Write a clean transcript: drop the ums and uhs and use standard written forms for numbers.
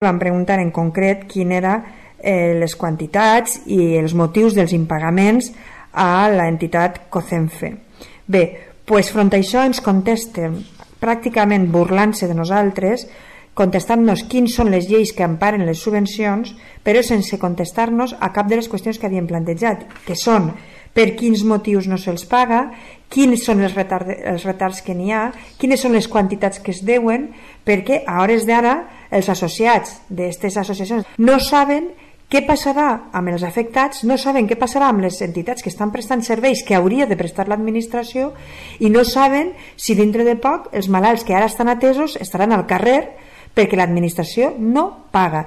Vam preguntar en concret quin eren les quantitats i els motius dels impagaments a l'entitat COCENFE. Bé, doncs front a això ens contesten pràcticament burlant-se de nosaltres, contestant-nos quins són les lleis que emparen les subvencions, però sense contestar-nos a cap de les qüestions que havíem plantejat, que són per quins motius no se'ls paga, quins són els retards que n'hi ha, quines són les quantitats que es deuen, perquè a hores d'ara els associats d'aquestes associacions no saben què passarà amb els afectats, no saben què passarà amb les entitats que estan prestant serveis que hauria de prestar l'administració i no saben si dintre de poc els malalts que ara estan atesos estaran al carrer perquè l'administració no paga.